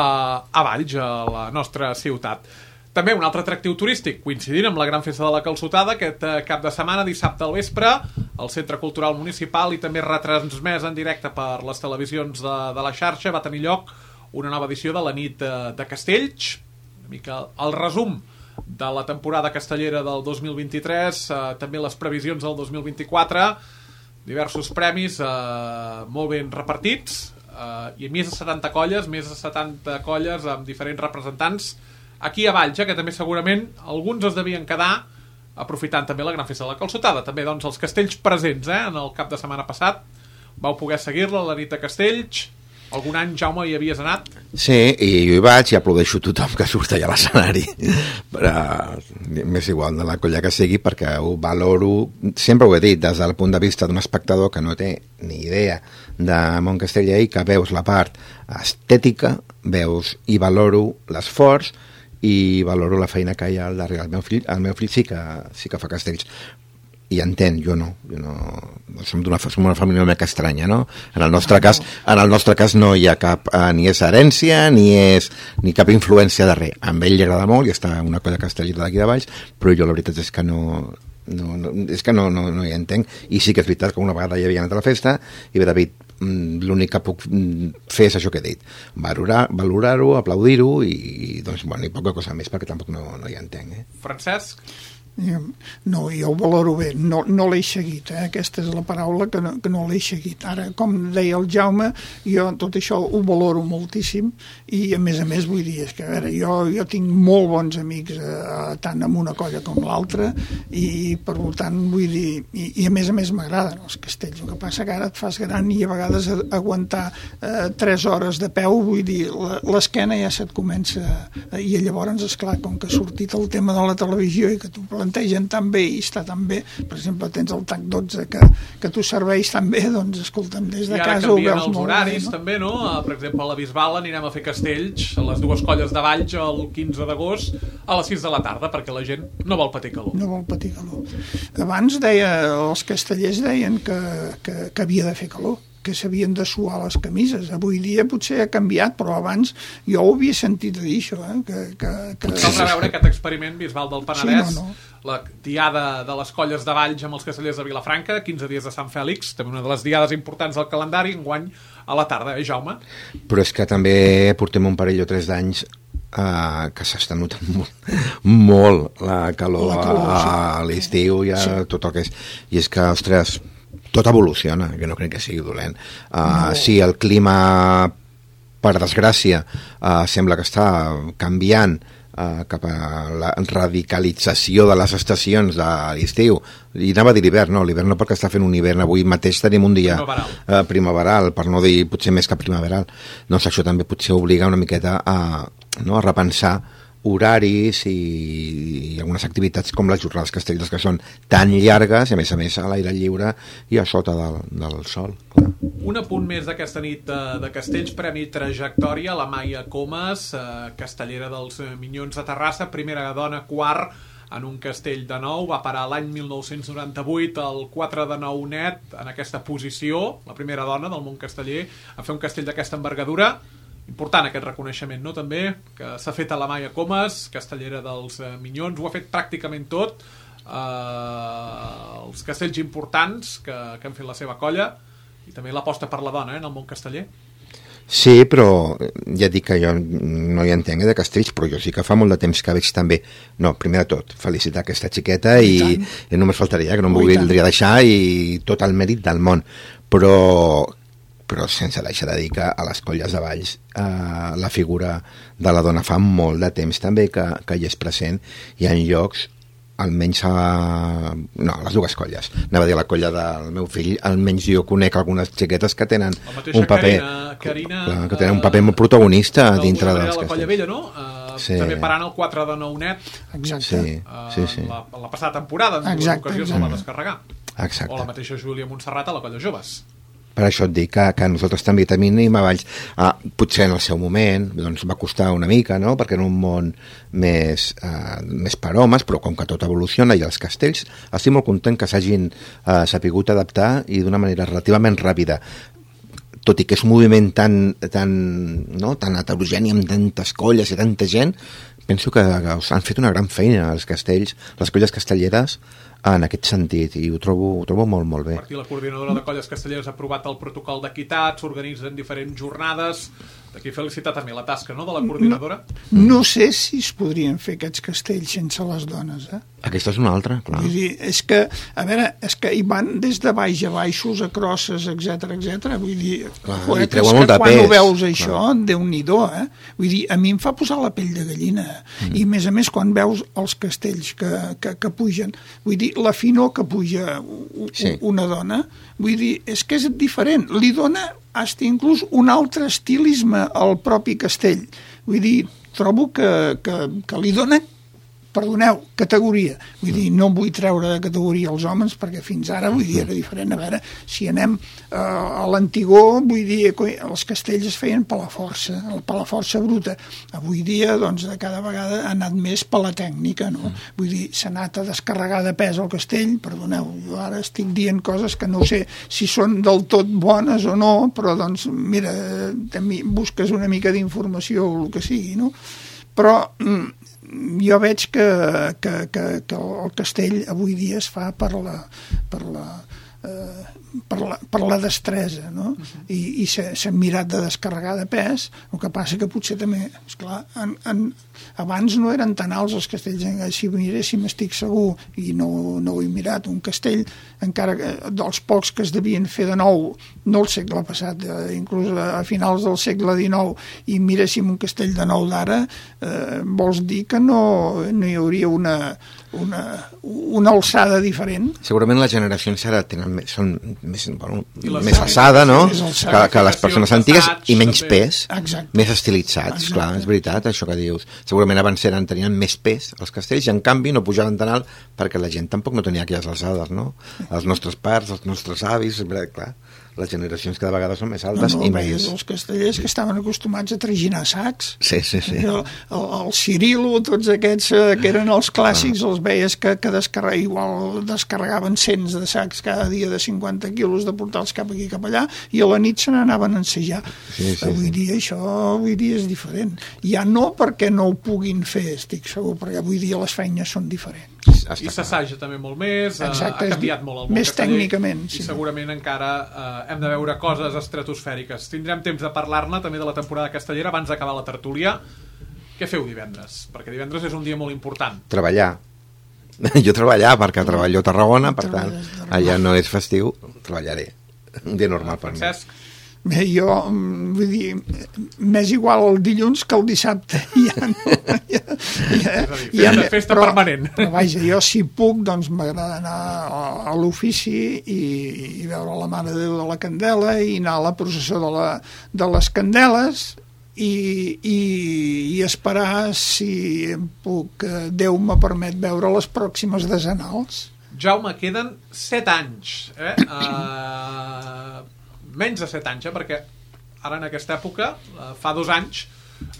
a Valls, a la nostra ciutat. També un altre atractiu turístic, coincidint amb la gran festa de la calçotada, aquest cap de setmana, dissabte al vespre, al Centre Cultural Municipal, i també retransmès en directe per les televisions de, de la xarxa, va tenir lloc una nova edició de la nit de, de Castells, una mica el resum de la temporada castellera del dos mil vint-i-tres, eh, també les previsions del dos mil vint-i-quatre, diversos premis eh, molt ben repartits, eh, i més de setanta colles, més de setanta colles amb diferents representants aquí a Valls, que també segurament alguns es devien quedar aprofitant també la gran festa de la calçotada. També doncs els castells presents, eh, en el cap de setmana passat vau poder seguir-la, la nit de Castells. Algun any, Jaume, hi havies anat? Sí, i jo hi vaig i aplaudeixo tothom que surt allà a l'escenari. Però m'és igual de la colla que sigui, perquè ho valoro, sempre ho he dit, des del punt de vista d'un espectador que no té ni idea de món casteller i que veus la part estètica, veus i valoro l'esforç i valoro la feina que hi ha al darrere. El meu fill, el meu fill sí que, sí que fa castells, i entén, jo no, jo no som d'una som una família una mica estranya, no? En el nostre cas, en el nostre cas no hi ha cap, eh, ni és herència ni és ni cap influència de res. A ell li agrada molt i està una colla castellera d'aquí de Valls, però jo la veritat és que no no, no, és que no, no, no hi entenc, i sí que és veritat que una vegada hi havia anat a la festa i bé, David, l'únic que puc fer és això que he dit, valorar, valorar-ho, aplaudir-ho i, i doncs, bueno, i poca cosa més perquè tampoc no, no hi entenc, eh? Francesc? No, jo ho valoro bé, no, no l'he seguit, eh? Aquesta és la paraula que no, que no l'he seguit. Ara, com deia el Jaume, jo tot això ho valoro moltíssim i a més a més vull dir, és que a veure, jo, jo tinc molt bons amics eh, tant amb una colla com l'altra i per tant vull dir, i, i a més a més m'agraden els castells, el que passa que ara et fas gran i a vegades aguantar eh, tres hores de peu, vull dir, l'esquena ja se't comença eh, i llavors, esclar, com que ha sortit el tema de la televisió i que tu plantegen tan bé i està tan bé, per exemple tens el T A C dotze que, que tu serveix tan bé, doncs escolta'm, des de casa ho veus molt bé. I ara canvien els horaris, no? També, no? Per exemple, a la Bisbal anirem a fer castells a les dues colles de Valls el quinze d'agost a les sis de la tarda, perquè la gent no vol patir calor. No vol patir calor. Abans deia, els castellers deien que, que, que havia de fer calor. que s'havien de suar les camises. Avui dia potser ha canviat, però abans jo ho havia sentit a dir, això. Eh? Que, que, que... Caldrà veure aquest experiment Bisbal del Penedès, sí, no, no. La diada de les colles de Valls amb els castellers de Vilafranca, quinze dies de Sant Fèlix, també una de les diades importants del calendari, enguany a la tarda, eh, Jaume? Però és que també portem un parell o tres d'anys uh, que s'està notant molt, molt la calor, la calor a, a l'estiu i a sí. tot el que és. I és que, ostres, tot evoluciona, jo no crec que sigui dolent. Uh, no. Si el clima, per desgràcia, uh, sembla que està canviant uh, cap a la radicalització de les estacions de l'estiu, i anava a dir l'hivern, no, l'hivern no, perquè està fent un hivern, avui mateix tenim un dia primaveral, uh, primaveral per no dir potser més que primaveral. Doncs això també potser obliga una miqueta a, no, a repensar horaris i, i algunes activitats com les jornades castelleres, que són tan llargues i a més a més a l'aire lliure i a sota del, del sol. Clar. Un apunt més d'aquesta nit de, de Castells, premi Trajectòria, la Maia Comas, eh, castellera dels Minyons de Terrassa, primera dona, quart en un castell de nou, va parar l'any mil nou-cents noranta-vuit al quatre de nou net en aquesta posició, la primera dona del món casteller a fer un castell d'aquesta envergadura. Important aquest reconeixement, no? També, que s'ha fet a la Maia Comas, castellera dels eh, Minyons, ho ha fet pràcticament tot, eh, els castells importants que, que han fet la seva colla, i també l'aposta per la dona, eh, en el món casteller. Sí, però ja dic que jo no hi entenc de castells, però jo sí que fa molt de temps que veig també, no, primer de tot, felicitar aquesta xiqueta i, i, i només faltaria que no em voldria deixar i tot el mèrit del món, però però sense deixar de dir que a les colles de Valls eh, la figura de la dona fa molt de temps també que, que hi és present i en llocs almenys a... no, a les dues colles. Anava a dir a la colla del meu fill, almenys jo conec algunes xiquetes que tenen un paper Carina, Carina, clar, que tenen un paper molt protagonista dintre dels castells. La colla vella, no? Uh, sí. També parant el quatre de nou net. Exacte. Sí, sí, sí. La, la passada temporada, en dues ocasions se'l va descarregar. Exacte. O la mateixa Júlia Montserrat a la colla joves. Per això et dic que, que nosaltres també tenim a Valls, ah, potser en el seu moment doncs va costar una mica, no? Perquè en un món més, eh, més per homes, però com que tot evoluciona i els castells, estic molt content que s'hagin eh, sapigut adaptar i d'una manera relativament ràpida, tot i que és un moviment tan, tan, no? tan heterogeni amb tantes colles i tanta gent, penso que, que han fet una gran feina els castells, les colles castelleres, en aquest sentit, i ho trobo, ho trobo molt, molt bé. Per aquí la coordinadora de colles castelleres ha aprovat el protocol d'equitat, s'organitzen diferents jornades, d'aquí felicitar també la tasca, no?, de la coordinadora. No, no sé si es podrien fer aquests castells sense les dones, eh? Aquesta és una altra, clar. Vull dir, és que, a veure, és que hi van des de baix a baixos, a crosses, etcètera, etcètera. Vull dir, clar, joder, és que quan pes, ho veus això, clar. Déu-n'hi-do, eh? Vull dir, a mi em fa posar la pell de gallina. Mm. I, a més a més, quan veus els castells que, que, que pugen, vull dir, la finor que puja sí. una dona, vull dir, és que és diferent. Li dona hasta inclús un altre estilisme al propi castell. Vull dir, trobo que, que, que li dona, perdoneu, categoria. Vull dir, no vull treure de categoria els homes perquè fins ara, vull dir, era diferent. A veure, si anem uh, a l'antigor, vull dir, els castells es feien per la força, per la força bruta. Avui dia, doncs, de cada vegada ha anat més per la tècnica, no? Vull dir, s'ha anat a descarregar de pes el castell, perdoneu, jo ara estic dient coses que no sé si són del tot bones o no, però, doncs, mira, també busques una mica d'informació o el que sigui, no? Però jo veig que, que, que, que el castell avui dia es fa per la, per la, eh, per la, per la destresa, no? Uh-huh. I, i s'ha mirat de descarregar de pes, el que passa que potser també, esclar, en, en, abans no eren tan alts els castells, si miréssim estic segur, i no, no ho he mirat, un castell, encara que dels pocs que es devien fer de nou, no el segle passat, eh, inclús a finals del segle dinou, i miréssim un castell de nou d'ara, eh, vols dir que no, no hi hauria una, una, una alçada diferent? Segurament les generacions ara tenen més, són més, bueno, més alçada, no? Més alçada. Que, que les persones antigues i menys pes, exacte. Més estilitzats, exacte. Clar, és veritat això que dius. Segurament abans eren, tenien més pes els castells i en canvi no pujaven tan alt perquè la gent tampoc no tenia aquelles alçades, no? Els nostres pares, els nostres avis, clar, les generacions cada vegada són més altes no, no, i més... els castellers que estaven acostumats a traginar sacs. Sí, sí, sí. El, el, el Cirilo, tots aquests eh, que eren els clàssics, ah. els veies que, que descarrega, igual descarregaven cents de sacs cada dia de cinquanta quilos de portar-los cap aquí cap allà i a la nit se n'anaven a ensejar. Sí, sí, avui sí. dia això avui dia és diferent. Ja no perquè no ho puguin fer, estic segur, perquè avui dia les feines són diferents. I s'assaja també molt més, exacte, ha canviat molt el món més casteller, tècnicament, i sí. segurament encara eh, hem de veure coses estratosfèriques. Tindrem temps de parlar-ne també de la temporada castellera abans d'acabar la tertúlia. Què feu divendres? Perquè divendres és un dia molt important. Treballar. Jo treballar, perquè treballo a Tarragona, per tant, allà no és festiu, treballaré. Un dia normal per mi. Francesc? Bé, jo, vull dir, m'és igual el dilluns que el dissabte. Ja no, ja, ja, ja, ja, festa però, permanent. Però vaja, jo si puc, doncs m'agrada anar a, a l'ofici i, i veure la Mare de Déu de la Candela i anar a la processó de, la, de les Candeles i, i, i esperar si puc, Déu me permet veure les pròximes decenals. Jaume, queden set anys, eh? Uh... menys de set anys, eh? Perquè ara en aquesta època, eh, fa dos anys,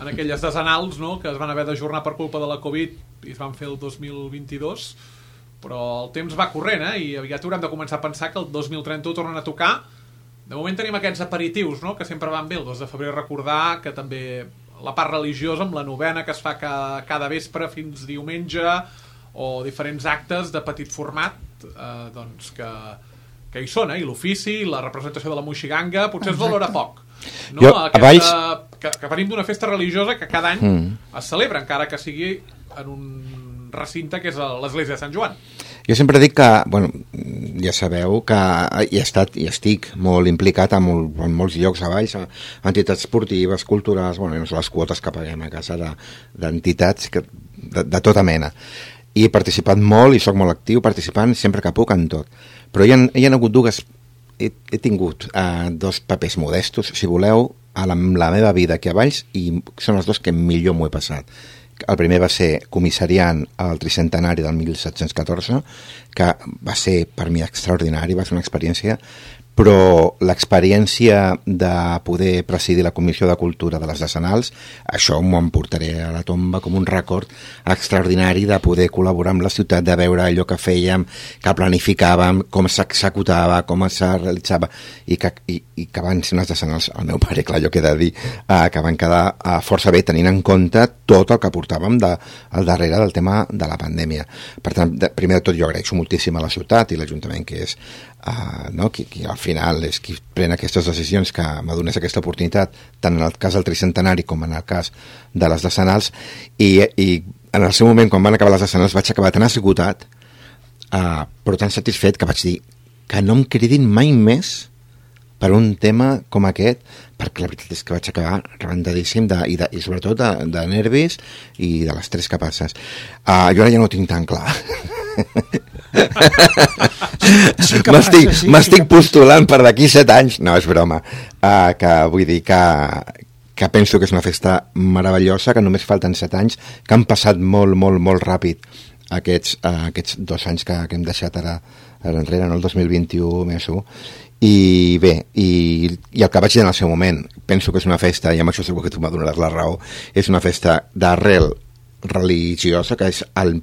en aquelles decenals, no?, que es van haver d'ajornar per culpa de la Covid i es van fer el dos mil vint-i-dos, però el temps va corrent, eh? I aviat haurem de començar a pensar que el dos mil trenta tornen a tocar. De moment tenim aquests aperitius, no?, que sempre van bé. El dos de febrer recordar que també la part religiosa amb la novena que es fa cada, cada vespre fins diumenge, o diferents actes de petit format, eh, doncs que que hi són, eh? I l'ofici, la representació de la moixiganga, potser es valora poc. No? Jo, Aquesta, Valls... que, que venim d'una festa religiosa que cada any mm. es celebra, encara que sigui en un recinte que és l'església de Sant Joan. Jo sempre dic que, bueno, ja sabeu que hi he estat i estic molt implicat en, molt, en molts llocs a Valls, entitats esportives, culturals, bueno, no són les quotes que paguem a casa d'entitats de, de, de tota mena. I he participat molt i sóc molt actiu participant sempre que puc en tot. Però hi ha, hi ha hagut dues... He, he tingut uh, dos papers modestos, si voleu, a la, la meva vida aquí a Valls, i són els dos que millor m'ho he passat. El primer va ser comissariant al tricentenari del mil set-cents catorze, que va ser per mi extraordinari, va ser una experiència, però l'experiència de poder presidir la Comissió de Cultura de les Decenals, això m'ho emportaré a la tomba com un rècord extraordinari de poder col·laborar amb la ciutat, de veure allò que fèiem, que planificàvem, com s'executava, com es realitzava, i que, i, i que van ser unes decenals, el meu pare, clar, jo que he de dir, eh, que van quedar eh, força bé tenint en compte tot el que portàvem de, al darrere del tema de la pandèmia. Per tant, de, primer de tot, jo agraeixo moltíssim a la ciutat i l'Ajuntament, que és Uh, no? qui, qui al final és qui pren aquestes decisions, que m'adonés aquesta oportunitat tant en el cas del tricentenari com en el cas de les decenals, i, i en el seu moment quan van acabar les decenals vaig acabar tan esgotat, uh, però tan satisfet, que vaig dir que no em cridin mai més per un tema com aquest, perquè la veritat és que vaig acabar rebentadíssim de, i, de, i sobretot de, de nervis i de l'estrès que passes. Uh, jo ara ja no ho tinc tan clar. Sí m'estic sí, sí postulant per d'aquí set anys, no, és broma, uh, que vull dir que, que penso que és una festa meravellosa, que només falten set anys, que han passat molt, molt, molt ràpid aquests, uh, aquests dos anys que, que hem deixat ara, ara enrere, no, el dos mil vint-i-u més u, i bé, i, i el que vaig dir en el seu moment, penso que és una festa, i amb això segur que tu m'adonaràs la raó, és una festa d'arrel religiosa, que és el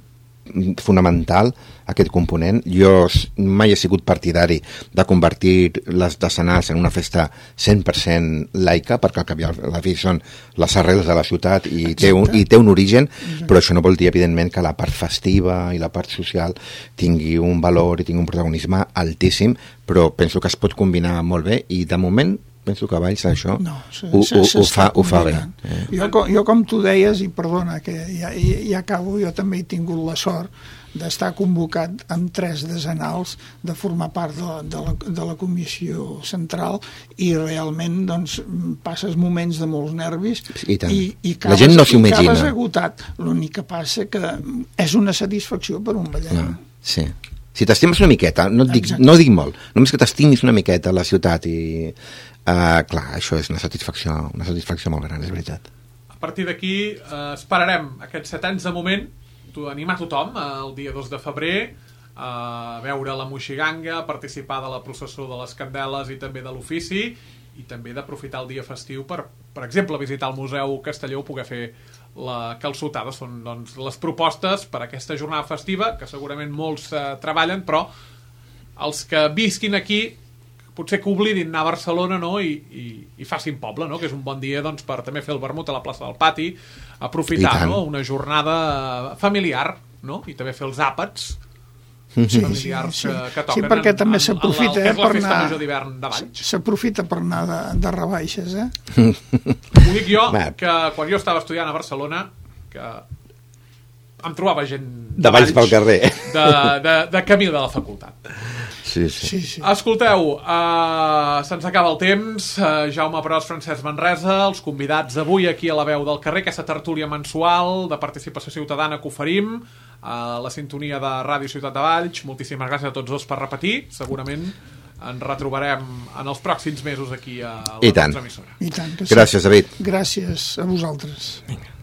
fonamental, aquest component. Jo mai he sigut partidari de convertir les decenals en una festa cent per cent laica, perquè al cap i a la fi són les arrels de la ciutat i té, un, i té un origen. Exacte. Però això no vol dir, evidentment, que la part festiva i la part social tingui un valor i tingui un protagonisme altíssim, però penso que es pot combinar molt bé, i de moment penso que Valls això no, se, ho, se, ho, ho, fa, ho fa bé. Eh. Jo, jo, com tu deies, i perdona, que ja, ja acabo, jo també he tingut la sort d'estar convocat amb tres decenals, de formar part de, de, la, de la comissió central, i realment doncs, passes moments de molts nervis i, i, i acabes, la gent no s'ho imagina. Acabes agotat. L'únic que passa que és una satisfacció per un ballet. No, sí. Si t'estimes una miqueta, no et dic, no dic molt, només que t'estimis una miqueta a la ciutat, i uh, clar, això és una satisfacció, una satisfacció molt gran, és veritat. A partir d'aquí eh, esperarem aquests set anys de moment, animar tothom el dia dos de febrer a veure la moixiganga, a participar de la processó de les candeles i també de l'ofici, i també d'aprofitar el dia festiu per, per exemple, visitar el Museu Castelló o poder fer la calçotada. Són doncs, les propostes per a aquesta jornada festiva, que segurament molts eh, treballen, però els que visquin aquí potser que oblidin anar a Barcelona, no? I, i, i facin poble, no? Que és un bon dia doncs, per també fer el vermut a la plaça del Pati, aprofitar, no? Una jornada familiar, no? I també fer els àpats sí, familiars sí, sí. Que, que toquen sí, perquè en, també en, s'aprofita en, en, eh, per festa anar major d'hivern de Valls. S'aprofita per anar de, de rebaixes, eh? Ho dic jo, Va. que quan jo estava estudiant a Barcelona, que em trobava gent De Valls pel carrer. de, de, de camí de la facultat. Sí, sí. Sí, sí. Escolteu, uh, se'ns acaba el temps. uh, Jaume Pros, Francesc Manresa, els convidats avui aquí a la Veu del Carrer, aquesta tertúlia mensual de participació ciutadana que oferim a la sintonia de Ràdio Ciutat de Valls. Moltíssimes gràcies a tots dos per repetir. Segurament ens retrobarem en els pròxims mesos aquí a la I tant. nostra emissora. I tant que sí. Gràcies, David. Gràcies a vosaltres. Vinga.